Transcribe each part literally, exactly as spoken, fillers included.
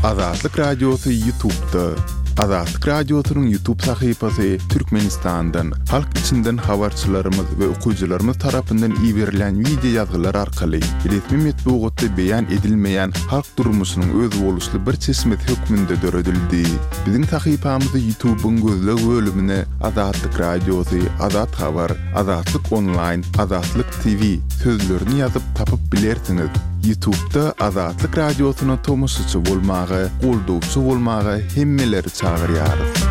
Azatlyk Radiosy YouTube'da. Azatlyk Radiosynyň YouTube sahypasy Türkmenistandan, halk içinden habarçylarymyz we okyjylarymyz tarapyndan iberilen wideo ýazgylar arkaly resmi metbugatda beýan edilmeýän halk durmuşynyň özboluşly bir çeşmesi hökmünde döredildi. Biziň sahypamyzy YouTube'yň gözleg bölümine Azatlyk Radiosy, Azat Habar, Azatlyk Online, Azatlyk T V sözlerini ýazyp tapyp bilersiňiz. YouTube'da Azatlyk Radiosyna tomaşaçy bolmaga, goldawçy bolmaga hemmeleri çagyrýarys.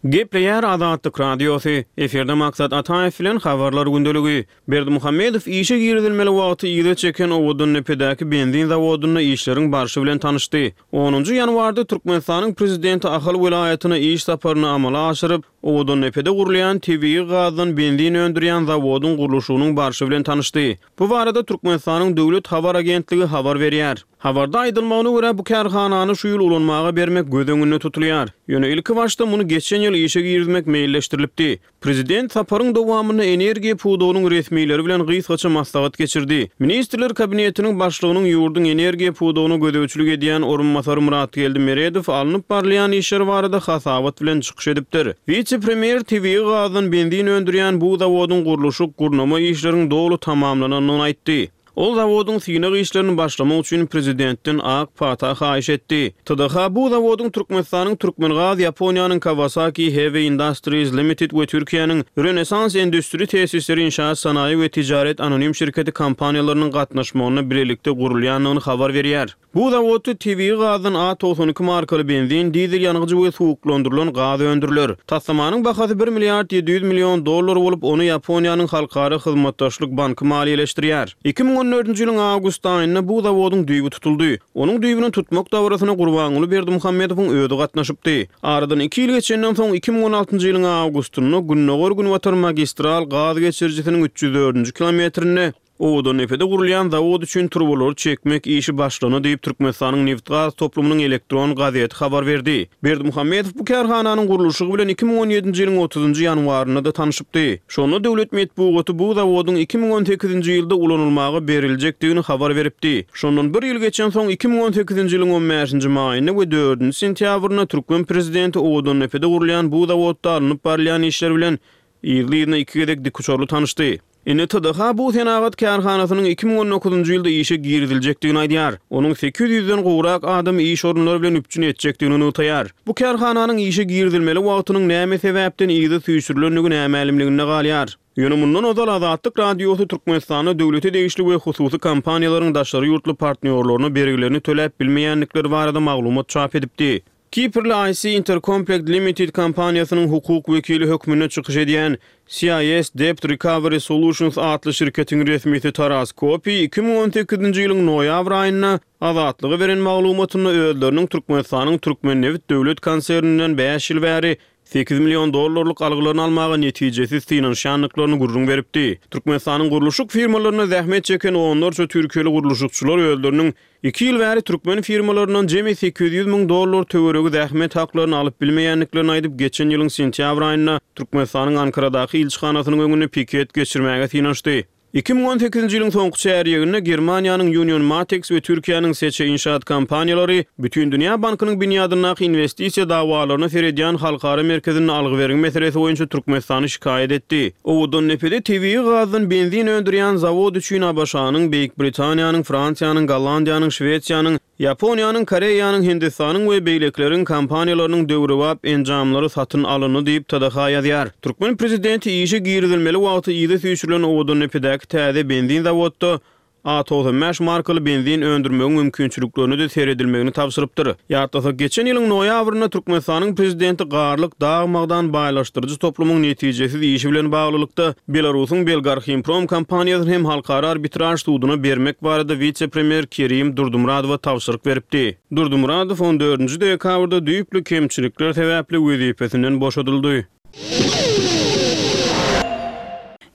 Gepleýär Azatlyk Radiosy. Efirde Maksat Ataýew bilen habarlar gündeligi. Berdimuhamedow işe girizilmeli wagty yza çeken Owadandepedäki benzin zawodynda işleriň barşy bilen tanyşdy. Onunjy ýanwarda Türkmenistanyň prezidenti Ahal welaýatyna iş saparyny amala aşyryp, Owadandepede gurulýan tebigy gazdan benzin öndürýän zawodyň gurluşygynyň barşy bilen tanyşdy. Bu barada Türkmenistanyň Döwlet habar agentligi habar berýär. Habarda aýdylmagyna görä, bu kärhanany şu ýyl ulanmaga bermek göz öňünde tutulýar. Ýöne ilki başda muny geçen ýyl işe girizmek meýilleşdirilipdi. Prezident saparyň dowamynda energiýa pudagynyň resmileri bilen gysgaça maslahat geçirdi. Ministrler kabinetiniň başlygynyň ýurduň energiýa pudagyna gözegçilik edýän orunbasary Myratgeldi Meredow alnyp barylýan işler barada hasabat bilen çykyş edipdir. Wise-premýer tebigy gazdan benzin öndürýän bu zawodyň gurluşyk gurnama işleriň doly tamamlanandygyny aýtdy. Ol zawodyň synag işlerini başlamak üçin prezidentden ak pata haýyş etdi. T D H bu zawodyň Türkmenistanyň Türkmengaz, Ýaponiýanyň Kawasaki Heavy Industries Limited we Türkiýäniň Rönesans Endüstri Tesisleri Inşaat Sanaýy we Tijaret Anonim şirketi kompaniýalarynyň gatnaşmagynda bilelikde gurulýandygyny habar berýär. Bu zawodda tebigy gazdan A togsan iki markaly benzin, dizel ýangyjy we suwuklandyrylan gaz öndüriler. Taslamanyň bahasy bir milliard ýedi ýüz million dollar bolup, ony Ýaponiýanyň Halkara hyzmatdaşlyk banky maliýeleşdirýär. iki müň on dördünji ýylyň awgust aýynda bu zawodyň düýbi tutuldy. Onuň düýbüni tutmak dabarasyna Gurbanguly Berdimuhamedowyň özi gatnaşypdy. Aradan iki ýyl geçenden soň iki müň on altynjy ýylyň awgustynda Gündogar-Günbatar magistral gaz geçirijisiniň üç ýüz dördünji kilometrinde Owadandepede gurulýan zawod üçin turbalary çekmek işi başlandy diýip, Türkmenistanyň Nebit-gaz toplumynyň elektron gazeti habar berdi. Berdimuhamedow bu kärhananyň gurluşygy bilen iki müň on ýedinji ýylyň otuzynjy ýanwarynda-da tanşypdy. Şonda döwlet metbugaty bu zawodyň iki müň on sekizinji ýylda ulanylmaga beriljekdigini habar beripdi. Şondan bir ýyl geçen soň iki müň on sekizinji ýylyň on bäşinji maýynda we dördünji sentýabrynda türkmen prezidenti Owadandepede gurulýan bu zawodda alnyp barylýan işler bilen yzly-yzyna iki gezek dikuçarly tanyşdy. Indi T D H bu senagat kärhanasynyň iki müň on dokuzynjy ýylda işe giriziljekdigini aýdýar. Onuň sekiz ýüzden gowrak adamy iş orunlary bilen üpjün etjekdigini nygtaýar. Bu kärhananyň işe girizilmeli wagtynyň näme sebäpden yza süýşürilendigi nämälimliginde galýar. Ýöne mundan ozal Azatlyk Radiosy Türkmenistanda döwlete degişli we hususy kompaniýalaryň daşary ýurtly partnýorlaryna bergilerini töläp bilmeýändikleri barada maglumat çap edipdi. Kiprli I C Intercomplect Limited kompaniýasynyň hukuk wekili hökmünde çykyş edýän C I S Debt Recovery Solutions atly şirketiň resmisi Taras Kopi iki müň on sekizinji ýylyň noýabr aýynda Azatlyga beren maglumatynda özleriniň Türkmenistanyň Türkmennebit döwlet konserninden bäş ýyl bäri sekiz million dollarlyk algylaryny almaga netijesiz synanyşýandyklaryny gürrüň beripdi. Türkmenistanyň gurluşyk firmalarynda zähmet çeken onlarça türkiýeli gurluşykçylar özleriniň iki ýyl bäri türkmen firmalaryndan jemi sekiz ýüz müň dollar töweregi zähmet haklaryny alyp bilmeýändiklerini aýdyp, geçen ýylyň sentýabr aýynda Türkmenistanyň Ankaradaky ilçihanasynyň öňünde piket geçirmäge synanyşdy. iki müň on sekizinji ýylyň soňky çärýeginde Germaniýanyň Union Matex we Türkiýäniň Seçe Inşaat kompaniýalary Bütindünýä bankynyň binýadyndaky investisiýa dawalaryna seredýän halkara merkezinde algy-bergi meselesi boýunça Türkmenistany şikaýat etdi. Owadandepede tebigy gazdan benzin öndürýän zawod üçin A B Ş-nyň, Beýik Britaniýanyň, Fransiýanyň, Gollandiýanyň, Şwesiýanyň, Ýaponiýanyň, Koreýanyň, Hindistanyň we beýlekileriň kompaniýalarynyň döwrebap enjamlary satyn alyndy diýip, T D H ýazýar. Türkmen prezidenti işe girizilmeli wagty yza süýşürilen Owadandepedäki täze benzin zawodda A togsan bäş markaly benzin öndürmegiň mümkinçiliklerine-de seredilmegini tabşyrypdyr. Ýatlasak, geçen ýylyň noýabrynda Türkmenistanyň prezidenti Garlyk dag magdan baýlaşdyryjy toplumyň netijesiz işi bilen baglylykda Belarusyň Belgarhimprom kompaniýasyny hem halkara arbitraž suduna bermek barada wise-premýer Kerim Durdumuradowa tabşyryk beripdi. Durdumuradow on dördünji dekabrda düýpli kemçilikler sebäpli wezipesinden boşadyldy.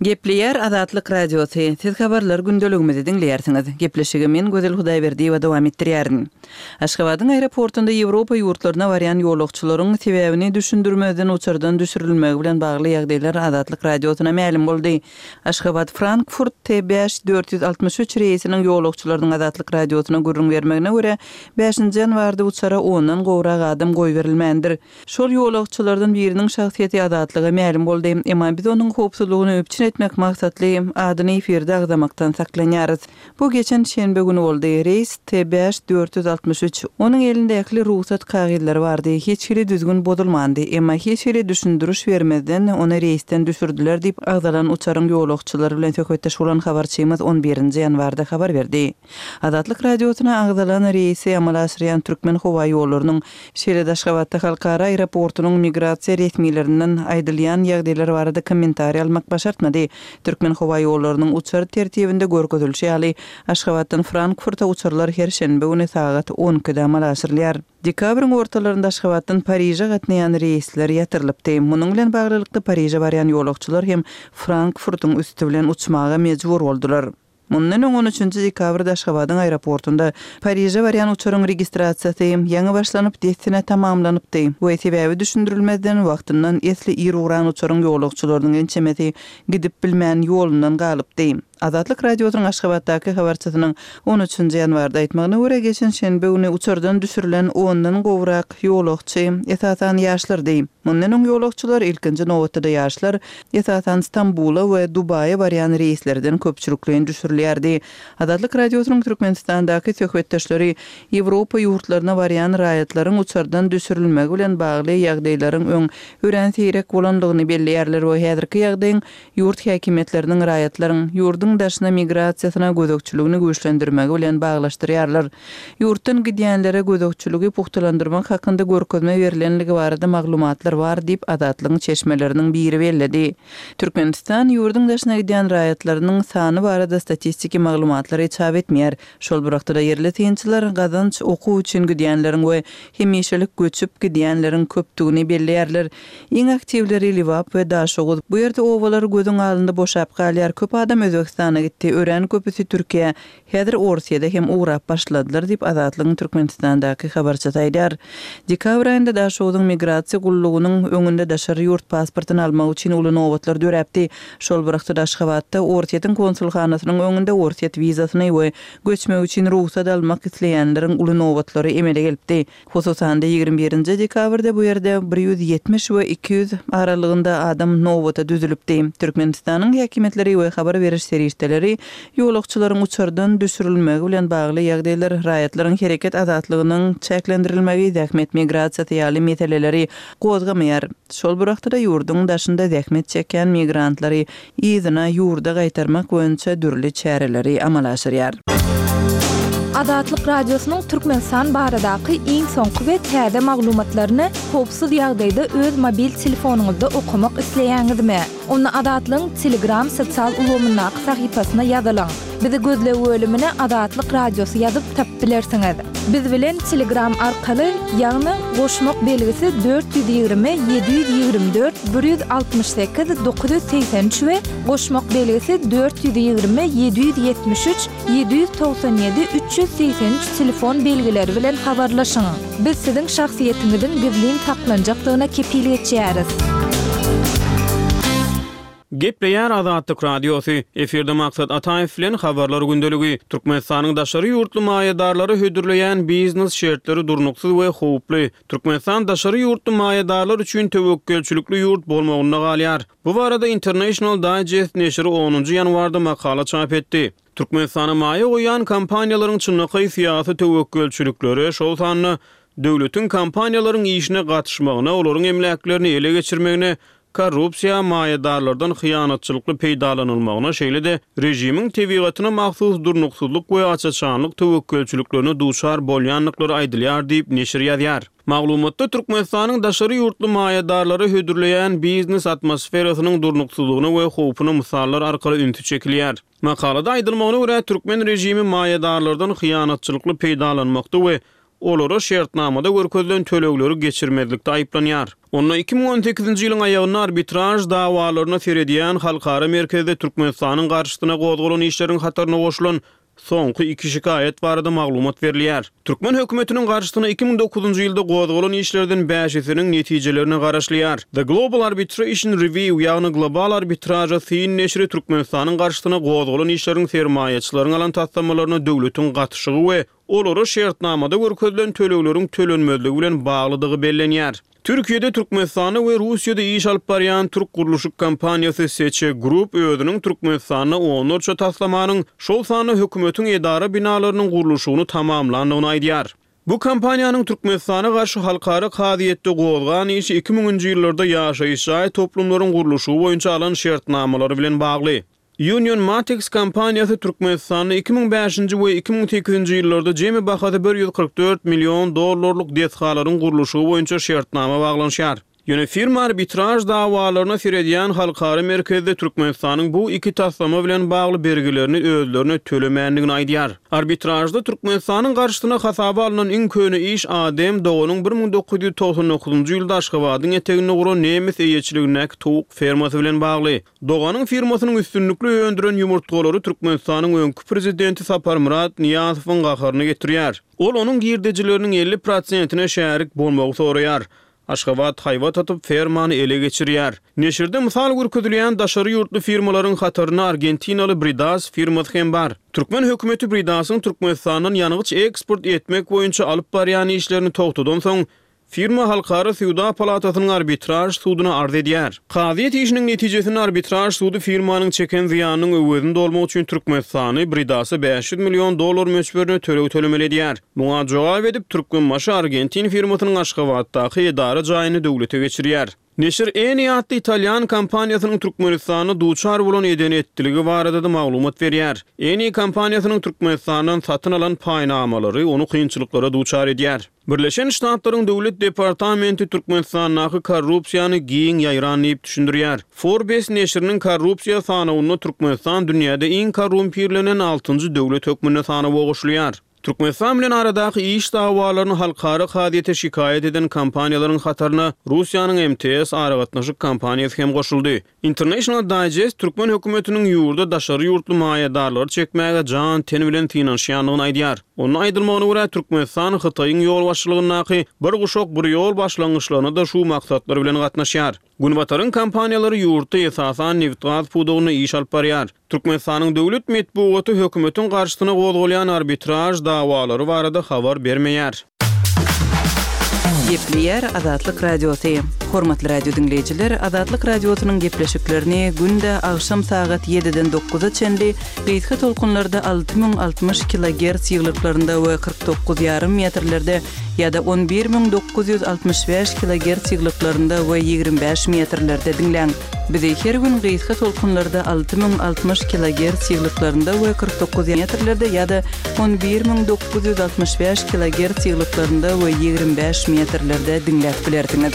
Gepleýär Azatlyk Radiosy, Siz habarlar gündeligimizi diňleýärsiňiz. Gepleşigi men Gözel Hudaýberdiýewa dowam etdirýärin. Aşgabadyň aeroportunda Ýewropa ýurtlaryna barýan ýolagçylaryň sebäbini düşündirmezden uçardan düşürilmegi bilen bagly ýagdaýlar Azatlyk Radiosyna mälim boldy. Aşgabat-Frankfurt T bäş dört ýüz altmyş üç reýsiniň ýolagçylarynyň Azatlyk Radiosyna gürrüň bermegine görä, bäşinji ýanwarda uçara ondan gowrak adam goýberilmändir. Şol ýolagçylardan biriniň şahsyýeti Azatlyga mälim boldy. Emma biz onuň howpsuzlygyny üpjün etmek maksatly adyny efirde agzamakdan saklanýarys. Bu geçen şenbe güni boldy. Reýs T bäş dört ýüz altmyş üç. Onuň elinde ähli rugsat kagyzlary bardy. Hiç hili düzgün bozulmandy. Emma hiç hili düşündiriş bermezden, ony reýsden düşürdiler diýip, agzalan uçaryň ýolagçylary bilen söhbetdeş bolan habarçymyz on birinji ýanwarda habar berdi. Azatlyk Radiosyna agzalan reýsi amala aşyrýan Türkmenhowaýollarynyň, şeýle-de Aşgabatda halkara aeroportunyň migrasiýa resmilerinden aýdylýan ýagdaýlar barada kommentariý almak başartmady. Türkmenhowaýollarynyň uçar tertibinde görkezilişi ýaly, Aşgabatdan Frankfurta uçarlar her şenbe güni sagat on ikide amala aşyrylýar. Dekabryň ortalarynda Aşgabatdan Pariže gatnaýan reýsler ýatyrylypdy. Munuň bilen baglylykda Pariže barýan ýolagçylar hem Frankfurtyň üsti bilen uçmaga mejbur boldular. Mundan öň on üçünji dekabrda Aşgabadyň aeroportunda Pariže barýan uçaryň registrasiýasy ýaňy başlanyp, dessine tamamlanypdy we sebäbi düşündirilmezden wagtyndan esli ir ugran uçaryň ýolagçylarynyň ençemesi gidip bilmän ýolundan galypdy. Azatlyk Radiosynyň Aşgabatdaky habarçysynyň on üçünji ýanwarda aýtmagyna görä, geçen şenbe güni uçardan düşürilen ondan gowrak ýolagçy, esasan ýaşlardy. Mundan öň ýolagçylar, ilkinji nobatda-da ýaşlar, esasan Stambula we Dubaýa barýan reýslerden köpçülikleýin düşürilýärdi. Azatlyk Radiosynyň Türkmenistandaky söhbetdeşleri Ýewropa ýurtlaryna barýan raýatlaryň uçardan düşürilmegi bilen bagly ýagdaýlaryň öň örän seýrek bolandygyny belleýärler we häzirki ýagdaýyň ýurt häkimiýetleriniň raýatlaryň ýurduň daşyna migrasiýasyna gözegçiligini güýçlendirmegi bilen baglaşdyrýarlar. Ýurtdan gidýänlere gözegçiligi pugtalandyrmak hakynda görkezme berilenligi barada maglumatlar bar diýip Azatlygyň çeşmeleriniň biri belledi. Türkmenistan ýurduň daşyna gidýän raýatlarynyň sany barada statistiki maglumatlary çap etmeýär. Şol bir wagtda ýerli synçylar gazanç okuw üçin gidýänleriň we hemişelik göçüp gidýänleriň köpdügini belleýärler. Iň aktiwleri Lebap we Daşoguz. Bu ýerde obalar gözüň alnynda boşap galýar. Köp adam Özbekistana gitdi. Örän köpüsi Türkiýe, häzir Orsýede hem ugrap başladylar diýip Azatlygyň Türkmenistandaky habarçysy aýdar. Dekabr aýynda Daşoguzyň migrasiýa gullugynyň öňünde daşary ýurt pasportyny almak üçin uly nobatlar döräpdi. Şol bir wagtda Aşgabatda Orsýetiň konsulhanasynyň öňünde Orsýet wizasyny we göçmek üçin rugsat almak isleýänleriň uly nobatlary emele gelipdi. Hususan-da ýigrimi birinji dekabrda bu ýerde bir ýüz ýetmiş we iki ýüz aralygynda adam nobata düzülipdi. Türkmenistanyň häkimiýetleri we habar beriş serişdeleri ýolagçylaryň uçardan düşürilmegi bilen bagly ýagdaýlar, raýatlaryň hereket azatlygynyň çäklendirilmegi, zähmet migrasiýasy ýaly meseleleri gozgamaýar. Şol bir wagtda ýurduň daşynda zähmet çekýän migrantlary yzyna ýurda gaýtarmak boýunça dürli çäreleri amala aşyrýar. Azatlyk Radiosynyň Türkmenistan baradaky iň soňky we täze maglumatlaryny howpsuz ýagdaýda öz mobil telefonyňyzda okamak isleýäňizmi? Onda Azatlygyň Telegram sosial ulgamyndaky sahypasyna ýazylyň. Bizi gözleg bölümine Azatlyk Radiosy ýazyp tapyp bilersiňiz. Biz bilen Telegram arkaly, ýagny goşmak belgisi dört ýüz ýigrimi, ýedi ýüz ýigrimi dört, bir ýüz altmyş sekiz, dokuz ýüz segsen üç we goşmak belgisi dört ýüz ýigrimi, ýedi ýüz ýetmiş üç, ýedi ýüz togsan ýedi, üç ýüz segsen üç telefon belgileri bilen habarlaşyň. Biz siziň şahsyýetiňiziň gizlin saklanjakdygyna kepil geçýäris. Gepleýär Azatlyk Radiosy. Efirde Maksat Ataýew bilen habarlar gündeligi. Türkmenistanyň daşary ýurtly maýadarlary hödürleýän biznes şertleri durnuksyz we howply. Türkmenistan daşary ýurtly maýadarlar üçin töwekgelçilikli ýurt bolmagynda galýar. Bu barada International Digest neşiri onunjy ýanwarda makala çap etdi. Türkmenistana maýa goýan kompaniýalaryň çynlakaý syýasy töwekgelçilikleri, şol sanda döwletiň kompaniýalaryň işine gatyşmagyna, olaryň emläklerini ele geçirmegine, korrupsiýa maýadarlardan hyýanatçylykly peýdalanylmagyna, şeýle-de režimiň tebigatyna mahsus durnuksyzlyk we açaçanlyk töwekgelçiliklerine duçar bolýandyklary aýdylýar diýip neşir ýazýar. Maglumatda Türkmenistanyň daşary ýurtly maýadarlary hödürleýän biznes atmosferasynyň durnuksyzlygyna we howpuna mysallar arkaly ünsi çekilýär. Makalada aýdylmagyna görä, türkmen režimi maýadarlardan hyýanatçylykly peýdalanmakda we olara şertnamada görkezilen tölegleri geçirmezlikde aýyplanýar. Onda iki müň on sekizinji ýylyň aýagynda arbitraž dawalaryna seredýän halkara merkezde Türkmenistanyň garşysyna gozgalan işleriň hataryna goşulan soňky iki şikaýat barada maglumat berilýär. Türkmen hökümetiniň garşysyna iki müň dokuzynjy ýylda gozgalan işlerden bäşisiniň netijelerine garaşylýar. The Global Arbitration Review, ýagny Global arbitraža syn neşiri Türkmenistanyň garşysyna gozgalan işleriň sermaýaçylaryň alan taslamalaryna döwletiň gatyşygy we olara şertnamada görkezilen tölegleriň tölenmezligi bilen baglydygy bellenýär. Türkiýede, Türkmenistanda we Russiýada iş alyp barýan türk gurluşyk kompaniýasy Seçe Group özüniň Türkmenistanda onlarça taslamanyň, şol sanda hökümetiň edara binalarynyň gurluşygyny tamamlandygyny aýdýar. Bu kompaniýanyň Türkmenistana garşy halkara kazyýetde gozgan işi iki müňünji ýyllarda ýaşaýyş jaý toplumlaryň gurluşygy boýunça alan şertnamalary bilen bagly. Union Matex kompaniýasy Türkmenistanda iki müň bäşinji we iki müň sekizinji ýyllarda jemi bahasy bir ýüz kyrk dört million dollarlyk desgalaryň gurluşygy boýunça şertnama baglanyşýar. Ýöne firma arbitraž dawalaryna seredýän halkara merkezde Türkmenistanyň bu iki taslama bilen bagly bergilerini özlerine tölemändigini aýdýar. Arbitražda Türkmenistanyň garşysyna hasaba alnan iň köne iş Adem Doganyň bir müň dokuz ýüz togsan dokuzynjy ýylda Aşgabadyň eteginde guran nemes eýeçiligindäki towuk fermasy bilen bagly. Doganyň firmasynyň üstünlikli öndüren ýumurtgalary Türkmenistanyň öňki prezidenti Saparmyrat Nyýazowyň gaharyny getirýär. Ol onuň girdejileriniň elli prosentine şärik bolmagy soraýar. Aşgabat haýbat atyp fermany ele geçirýär. Neşirde mysal görkezilýän daşary ýurtly firmalaryň hataryna Argentinaly Bridas firmasy hem bar. Türkmen hökümeti Bridasyň Türkmenistandan ýangyç eksport etmek boýunça alyp barýan işlerini togtadan soň firma Halkara Söwda Palatasynyň arbitraž suduna arz edýär. Kazyýet işiniň netijesinde arbitraž sudy firmanyň çeken zyýanynyň öwezini dolmak üçin Türkmenistany Bridasa bäş ýüz million dollar möçberine töleg tölemeli edýär. Muňa jogap edip Türkmenbaşy Argentin firmasynyň Aşgabatdaky edara jaýyny döwlete geçirýär. Neşir Eni atly italýan kompaniýasynyň Türkmenistanda duçar bolan eden etdiligi barada da maglumat berýär. Eni kompaniýasynyň Türkmenistandan satyn alan paýnamalary ony kynçylyklara duçar edýär. Birleşen Ştatlaryň Döwlet Departamenti Türkmenistandaky korrupsiýany giň ýaýran diýip düşündirýär. Forbes neşiriniň korrupsiýa sanawynda Türkmenistan dünýäde iň korrumpirlenen altynjy döwlet hökmünde sanawa goşulýar. Türkmenistan bilen aradaky iş dawalaryny halkara kazyýete şikaýat eden kompaniýalaryň hataryna Russiýanyň M T S aragatnaşyk kompaniýasy hem goşuldy. International Digest Türkmen hökümetiniň ýurda daşary ýurtly maýadarlary çekmäge jan ten bilen synanyşýandygyny aýdýar. Onuň aýdylmagyna görä Türkmenistan Hytaýyň ýolbaşçylygyndaky bir guşak bir ýol başlangyçlaryna da şu maksatlar bilen gatnaşýar. Günbataryň kompaniýalary ýurtda esasan nebit-gaz pudagynda iş alyp barýar. Türkmenistanyň döwlet metbugaty hökümetiň garşysyna gozgalýan arbitraž dawalary barada habar bermeýär. Gepleýär Azatlyk Radiosy. Hormatly radio diňleýjiler, Azatlyk Radiosynyň gepleşiklerini günde agşam sagat ýediden dokuza çenli gysga tolkunlarda alty müň altmyş kilogertz ýyglyklarynda we kyrk dokuz ýarym metrlerde ýa-da on bir müň dokuz ýüz altmyş bäş kilogertz ýyglyklarynda we ýigrimi bäş metrlerde diňläň. Bizi her gün gysga tolkunlarda alty müň altmyş kilogertz ýyglyklarynda we kyrk dokuz metrlerde ýa-da on bir müň dokuz ýüz altmyş bäş kilogertz ýyglyklarynda we ýigrimi bäş metrlerde diňläp bilersiňiz.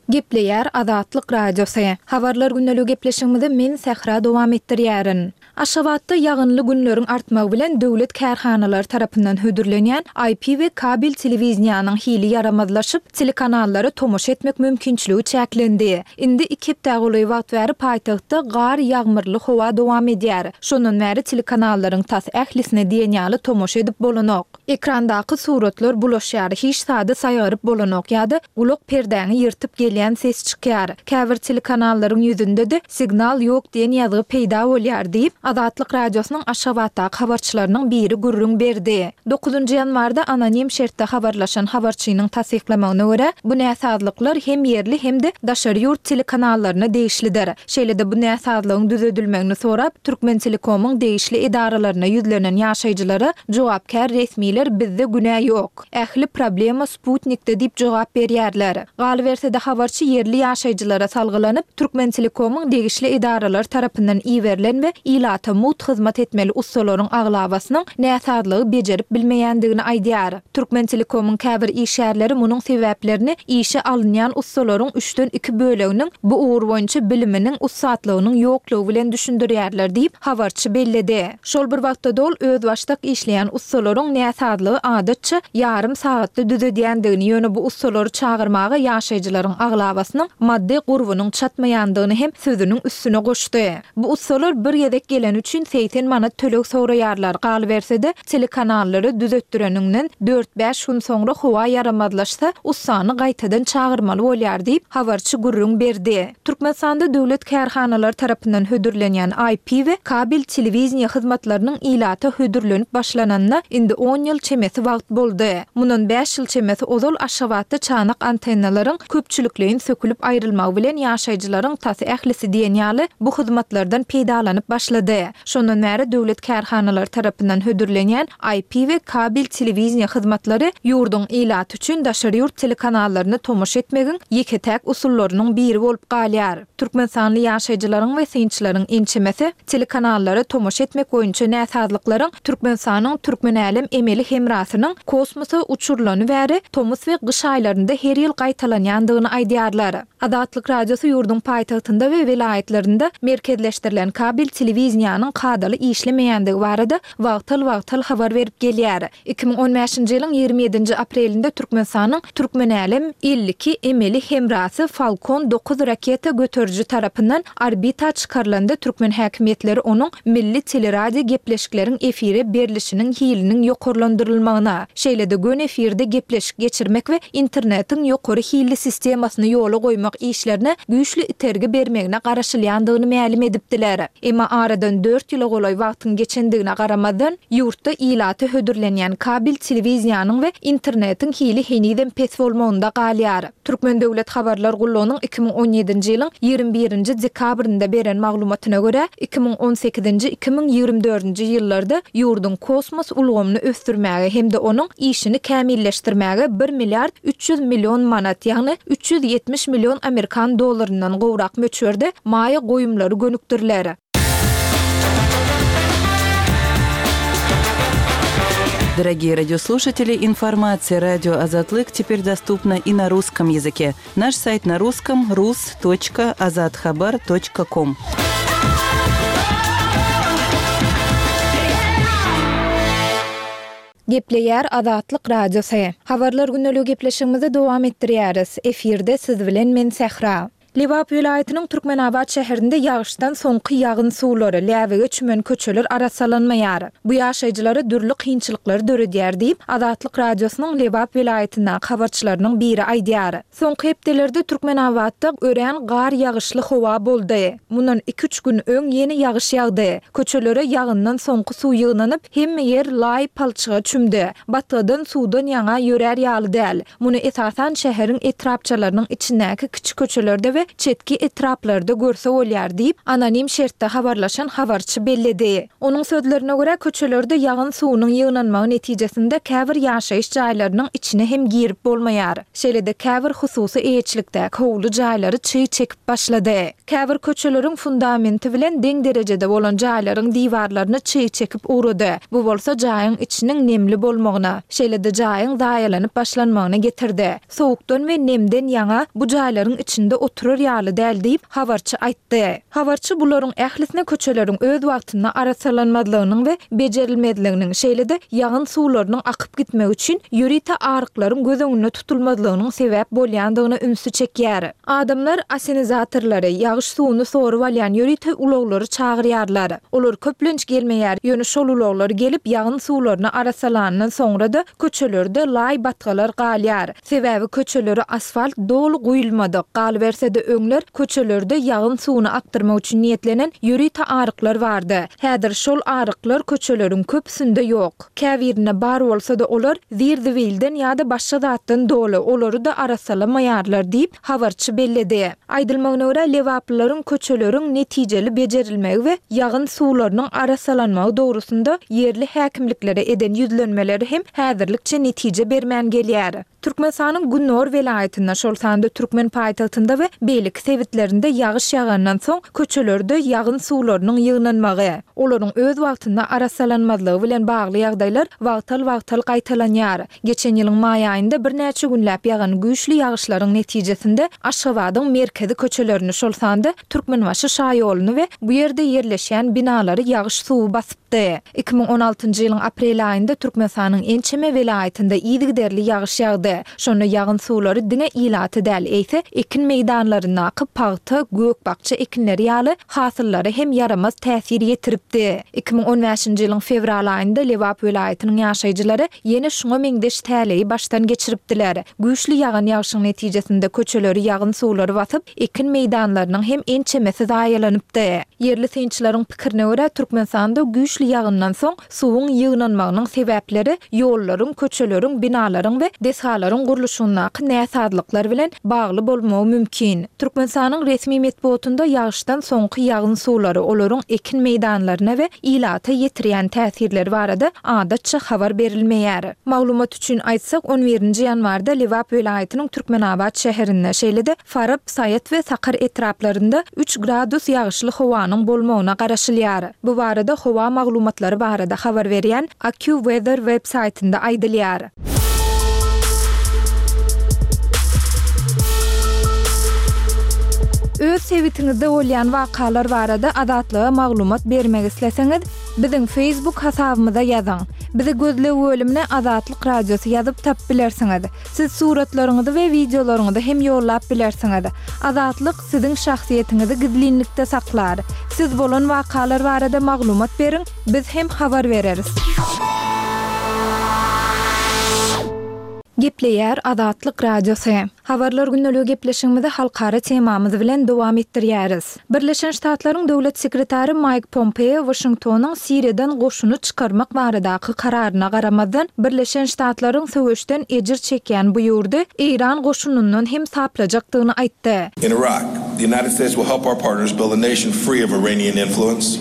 Gepleýär Azatlyk Radiosy. Habarlar günlük gepleşigimizi men Sähra dowam etdirýärin. Aşgabatda ýagynly günleriň artmagy bilen döwlet kärhanalary tarapyndan hödürlenýän I P we kabel telewiziýanyň hili ýaramazlaşyp, telekanallara tomaşa etmek mümkinçiligi çäklendi. Indi iki hepde golaý wagt bäri paýtagtda gar ýagmyrly howa dowam edýär. Şondan bäri telekanallaryň tas ählisine diýen ýaly tomaşa edip bolanok. Ekrandaky suratlar bulaşýar, hiç zady saýgaryp bolanok ýa-da gulak perdäňi ýyrtyp gelýän ses çykýar. Käbir telekanallaryň ýüzünde de signal ýok diýen ýazgy peýda bolýar diýip, Azatlyk Radiosynyň Aşgabatdaky habarçylarynyň biri gürrüň berdi. Dokuzynjy ýanwarda anonim şertde habarlaşan habarçynyň tassyklamagyna görä, bu näsazlyklar hem ýerli hem de daşary ýurt telekanallaryna degişlidir. Şeýle-de bu näsazlygyň düzedilmegini sorap, Türkmen Telekomyň degişli edaralaryna ýüzlenen ýaşaýjylara jogapkär resmiler bizde günä ýok. Ähli problema Sputnikde diýip jogap berýärler. Galyberse-de habarçy ýerli ýaşaýjylara salgylanyp, Türkmen Telekomyň degişli edaralar tarapyndan iberilen we ilata mugt hyzmat etmeli ussalaryň aglabasynyň näsazlygy bejerip bilmeýändigini aýdýar. Türkmentelekomyň käbir işgärleri munuň sebäplerini işe alynýan ussalaryň üçden iki böleginiň bu ugur boýunça biliminiň, ussatlygynyň ýoklugy bilen düşündirýärler diýip, habarçy belledi. Şol bir wagtda-da ol özbaşdak işleýän ussalaryň näsazlygy adatça ýarym sagatda düzedýändigini, ýöne bu ussalary çagyrmaga ýaşaýjylaryň aglabasynyň maddy gurbunyň çatmaýandygyny hem sözüniň üstüne goşdy. Bu ussalar bir gezek geleni üçin segsen manat töleg soraýarlar, galyberse-de, telekanallary düzetdireniňden dört-bäş gün soňra howa ýaramazlaşsa, ussany gaýtadan çagyrmaly bolýar diýip, habarçy gürrüň berdi. Türkmenistanda döwlet kärhanalary tarapyndan hödürlenýän I P we kabel telewideniýe hyzmatlarynyň ilata hödürlenip başlananyna indi on ýyl çemesi wagt boldy. Mundan bäş ýyl çemesi ozal Aşgabatda çanak antennalaryň köpçülikleýin sökülip aýrylmagy bilen ýaşaýjylaryň tas ählisi diýen ýaly bu hyzmatlardan peýdalanyp başlady. Şondan bäri döwlet kärhanalary tarapyndan hödürlenýän I P we kabel telewideniýe hyzmatlary ýurduň ilaty üçin daşary ýurt telekanallaryny tomaşa etmegiň ýeke-täk usullarynyň biri bolup galýar. Türkmenistanly ýaşaýjylaryň we synçylaryň ençemesi telekanallara tomaşa etmek boýunça näsazlyklaryň Türkmenistanyň Türkmenälem emeli hemrasynyň kosmosa uçurlany bäri tomus we gyş aýlarynda her ýyl gaýtalanýandygyny aýdýarlar. Azatlyk Radiosy ýurduň paýtagtynda we welaýatlarynda merkezleşdirilen kabel telewideniýanyň kadaly işlemeýändigi barada wagtal-wagtal habar berip gelýär. Iki müň on bäşinji ýylyň ýigrimi ýedinji aprelinde Türkmenistanyň Türkmenälem elli iki emeli hemrasy Falcon dokuz raketa göteriji tarapyndan orbita çykarylanda türkmen häkimiýetleri onuň milli teleradio gepleşikleriň efire berlişiniň hiliniň ýokarlandyrylmagyna, şeýle-de gön efirde gepleşik geçirmek we internetiň ýokary hilli sistemasyny ýola goýmak işlerine güýçli itergi bermegine garaşylýandygyny mälim edipdiler. Emma aradan dört ýyla golaý wagtyň geçendigine garamazdan, ýurtda ilaty hödürlenýän kabel telewiziýanyň we internetiň hili henizem pes bolmagynda galýar. Türkmen Döwlet Habarlar Gullugynyň iki müň on ýedinji ýylyň ýigrimi birinji dekabrynda beren maglumatyna görä, iki müň on sekizinji, iki müň ýigrimi dördünji ýyllarda ýurduň kosmos ulgamyny ösdürmäge hem-de onuň işini kämilleşdirmäge bir milliard üç ýüz million manat, ýagny üç ýüz ýetmiş million amerikan dollaryndan gowrak möçberde maýa goýumlary gönükdiriler. Дорогие радиослушатели, информация радио Азатлык теперь доступна и на русском языке. Наш сайт на русском рус точка азатхабар точка ком. Gepleýär Azatlyk Radiosy. Habarlar günlügi gepleşigimizi dowam etdirýäris. Efirde siz bilen men Sähra. Lebap welaýatynyň Türkmenabat şäherinde ýagyşdan soňky ýagyn suwlary, läbige çümen köçeler arasalanmaýar. Bu ýaşaýjylara dürli kynçylyklary döredýär diýip, Azatlyk Radiosynyň Lebap welaýatyndaky habarçylarynyň biri aýdýar. Soňky hepdelerde Türkmenabatda örän gar ýagyşly howa boldy. Mundan iki-üç gün öň ýene ýagyş ýagdy. Köçelere ýagyndan soňky suw ýygnanyp, hemme ýer laý palçyga çümdi. Batgadan suwdan ýaňa ýörär ýaly däl. Muny esasan şäheriň etrapçalarynyň içindäki kiçi köçelerde we çetki etraplarda görse bolýar diýip, anonim şertde habarlaşan habarçy belledi. Onuň sözlerine görä köçelerde ýagyn suwunyň ýygnanmagy netijesinde käbir ýaşaýyş jaýlarynyň içine hem girip bolmaýar. Şeýle-de käbir hususy eýeçilikdäki howly jaýlary çyg çekip başlady. Käbir köçeleriň fundamenti bilen deň derejede bolan jaýlaryň diwarlaryny çyg çekip ugrady. Bu bolsa jaýyň içiniň nemli bolmagyna, şeýle-de jaýyň zaýalanyp başlanmagyna getirdi. Soğukdan we nemden ýaňa bu jaýlaryň içinde oturur ýaly däl diýip habarçy aýtdy. Habarçy bularyň ählisine köçeleriň öz wagtynda arasalanmazlygynyň we bejerilmezliginiň, şeýle-de ýagyn suwlarynyň akyp gitmegi üçin ýörite aryklaryň göz öňünde tutulmazlygynyň sebäp bolýandygyna ünsi çekýär. Adamlar asenizatorlary, ýagyş suwuny sorup alýan ýörite ulaglary çagyrýarlar. Olar köplenç gelmeýär. Ýöne şol ulaglar gelip ýagyn suwlaryny arasalandan soňra-da köçelerde laý batgalar galýar. Sebäbi köçeleri asfalt doly guýulmadyk. Galyberse-de öňler köçelerde ýagyn suwuny akdyrmak üçin niýetlenen ýörite aryklar bardy. Häzir şol aryklar köçeleriň köpüsinde ýok. Käbirinde bar bolsa-da olar zir-zibilden ýa-da başga zatdan doly, olary da arasalamaýarlar diýip habarçy belledi. Aýdylmagyna görä Lebaplylaryň köçeleriň netijeli bejerilmegi we ýagyn suwlarynyň arasalanmagy dogrusynda ýerli häkimliklere eden ýüzlenmeleri hem häzirlikçe netije bermän gelýär. Türkmenistanyň Günnor welaýatynda, şol sanda Türkmen paýtagtynda we beýleki sebitlerinde ýagyş ýagandan soň köçelerde ýagyn suwlarynyň ýygnanmagy, olaryň öz wagtynda arassalanmazlygy bilen bagly ýagdaýlar wagtal-wagtal gaýtalanýar. Geçen ýylyň maý aýynda birnäçe günläp ýagan güýçli ýagyşlaryň netijesinde Aşgabadyň merkezi köçelerini, şol sanda Türkmenbaşy şaýoluny we bu ýerde ýerleşýän binalary ýagyş suwy basypdy. Iki müň on altynjy ýylyň aprel aýynda Türkmenistanyň ençeme welaýatynda yzygiderli ýagyş ýagdy. Şonda ýagyn suwlary diňe ilaty däl, eýse ekin meýdanlaryndaky pagta, gök-bakja ekinleri ýaly hasyllara hem ýaramaz täsir ýetiripdi. Iki müň on bäşinji ýylyň fewral aýynda Lebap welaýatynyň ýaşaýjylary ýene şuňa meňzeş täleýi başdan geçiripdiler. Güýçli ýagan ýagşyň netijesinde köçeleri ýagyn suwlary basyp, ekin meýdanlarynyň hem ençemesi zaýalanypdy. Ýerli synçylaryň pikirine görä, Türkmenistanda güýçli ýagyndan soň suwuň ýygnanmagynyň sebäpleri ýollaryň, köçeleriň, binalaryň we desgalaryň gurluşygyndaky näsazlyklar bilen bagly bolmagy mümkin. Türkmenistanyň resmi metbugatynda ýagyşdan soňky ýagyn suwlary, olaryň ekin meýdanlaryna we ilata ýetirýän täsirleri barada adatça habar berilmeýär. Maglumat üçin aýtsak, on birinji ýanwarda Lebap welaýatynyň Türkmenabat şäherinde, şeýle-de Farap, Saýat we Sakar etraplarynda üç gradus ýagyşly howanyň bolmagyna garaşylýar. Bu barada howa maglumatlary barada habar berýän AccuWeather web saýtynda aýdylýar. Öz sebitiňizde bolýan wakalar barada Azatlyga maglumat bermek isleseňiz, biziň Facebook hasabymyza ýazyň. Bizi gözleg bölümine Azatlyk Radiosy ýazyp tapyp bilersiňiz. Siz suratlaryňyzy we wideolaryňyzy hem ýollap bilersiňiz. Azatlyk siziň şahsyýetiňizi gizlinlikde saklar. Siz bolan wakalar barada maglumat beriň, biz hem habar bereris. Gepleýär Azatlyk Radiosy. Habarlar gündeligi gepleşigimizi halkara temamyz bilen dowam etdirýäris. Birleşen Ştatlaryň Döwlet sekretary Mike Pompeo Washingtonyň Siriýadan goşuny çykarmak baradaky kararyna garamazdan, Birleşen Ştatlaryň söweşden ejir çekýän bu ýurdy Eýran goşunyndan hem saplajakdygyny aýtdy. In Iraq, the United States will help our partners build a nation free of Iranian influence.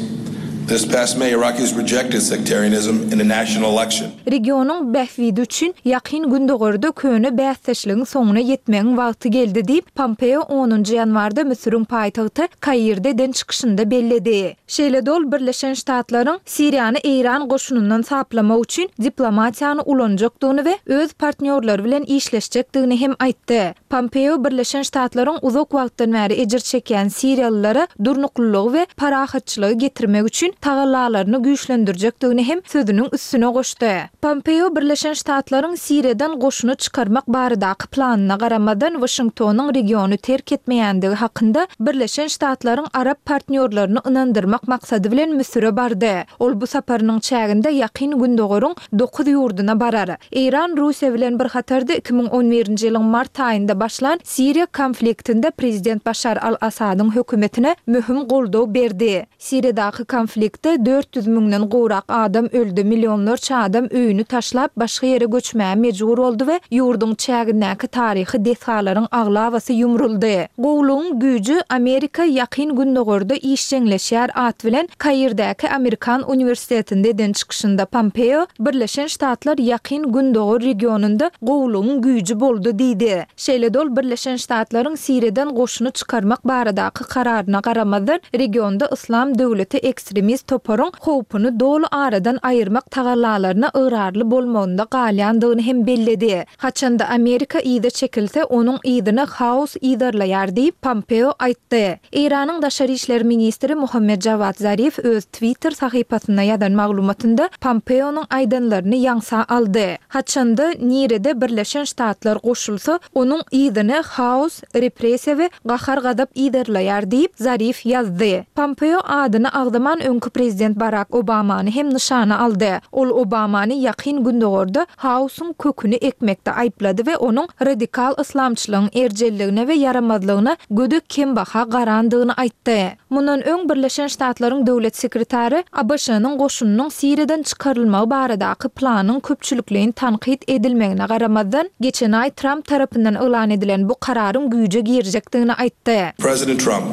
This past May, Iraqis rejected sectarianism in a national election. Regionyň bähbidi üçin Ýakyn Gündogarda köne bäsdeşligiň soňuna ýetmegiň wagty geldi diýip, Pompeo onunjy ýanwarda Müsüriň paýtagty Kairde eden çykyşynda belledi. Şeýle-de ol Birleşen Ştatlaryň Siriýany Eýran goşunyndan saplamak üçin diplomatiýany ulanjakdygyny we öz partnýorlary bilen işleşjekdigini hem aýtdy. Pompeo Birleşen Ştatlaryň uzak wagtdan bäri ejir çekýän siriýalylara durnuklylygy we parahatçylygy getirmek üçin tagallalaryny güýçlendirjekdigini hem sözüniň üstüne goşdy. Pompeo Birleşen Ştatlaryň Siriýadan goşuny çykarmak baradaky planyna garamazdan Washingtonyň regiony terk etmeýändigi hakynda Birleşen Ştatlaryň arap partnýorlaryny ynandyrmak maksady bilen Müsüre bardy. Ol bu saparynyň çäginde Ýakyn Gündogaryň dokuz ýurduna barar. Eýran Russiýa bilen bir hatarda iki müň on birinji ýylyň mart aýynda başlan Siriýa konfliktinde prezident Başar al-Asadyň hökümetine möhüm goldaw berdi. Siriýadaky konfliktde dört ýüz müňden gowrak adam öldi, millionlarça adam öýüni taşlap başga ýere göçmäge mejbur boldy we ýurduň çägindäki taryhy desgalaryň aglabasy ýumruldy. Gowlugyň güýji Amerika Ýakyn Gündogarda işjeňleşýär at bilen Kairdäki Amerikan uniwersitetinde eden çykyşynda Pompeo Birleşen Ştatlar Ýakyn Gündogar regionynda gowlugyň güýji boldy diýdi. Şeýle-de ol Birleşen Ştatlaryň Siriýadan goşuny çykarmak baradaky kararyna garamazdan regionda Yslam döwleti ekstremist toparyň howpuny doly aradan aýyrmak tagallalaryna ygrarly bolmagynda galýandygyny hem belledi. Haçanda Amerika yza çekilse, onuň yzyny haos yzarlaýar diýip Pompeo aýtdy. Eýranyň daşary işler ministri Muhammed Jawad Zarif öz Twitter sahypasynda ýazan maglumatynda Pompeonyň aýdanlaryny ýaňsa aldy. Haçanda nirede Birleşen Ştatlar goşulsa, onuň yzyny haos, repressiýa we gahar-gazap yzarlaýar diýip Zarif ýazdy. Pompeo adyny agzaman öňki prezident Barack Obamany hem nyşana aldy. Ol Obamany Ýakyn Gündogarda haosyň köküni ekmekde aýyplady we onuň radikal yslamçylygyň erjelligine we ýaramazlygyna gödek kembaha garandygyny aýtdy. Mundan öň Birleşen Ştatlaryň döwlet sekretary A B Ş-nyň goşunynyň Siriýadan çykarylmagy baradaky planyň köpçülikleýin tankyt edilmegine garamazdan, geçen aý Trump tarapyndan yglan edilen bu kararyň güýje girjekdigini aýtdy. President Trump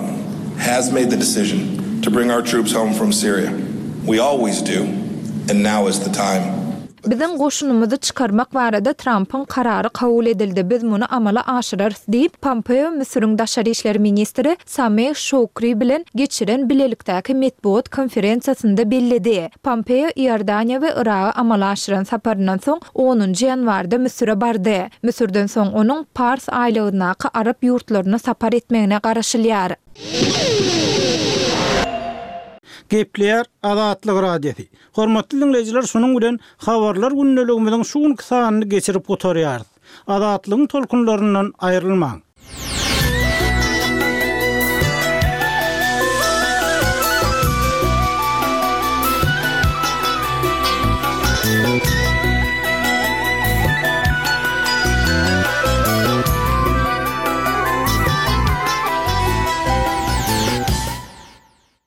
has made the decision to bring our troops home from Syria. We always do, and now is the time. Biziň goşunymyzy çykarmak barada Trampyň karary kabul edildi, biz muny amala aşyrarys diýip, Pompeo Müsüriň daşary işler ministri Sameh Şoukri bilen geçiren bilelikdäki metbugat konferensiýasynda belledi. Pompeo Iordaniýa we Yraga amala aşyran saparyndan soň onunjy ýanwarda Müsüre bardy. Müsürden soň onuň Pars aýlagyndaky arap ýurtlaryna sapar etmegine garaşylýar. Gepleýär Azatlyk Radiosy. Hormatly diňleýjiler, şunuň bilen Habarlar gündeligimiziň şu günki sanyny geçirip gutarýarys. Azatlygyň tolkunlaryndan aýrylmaň!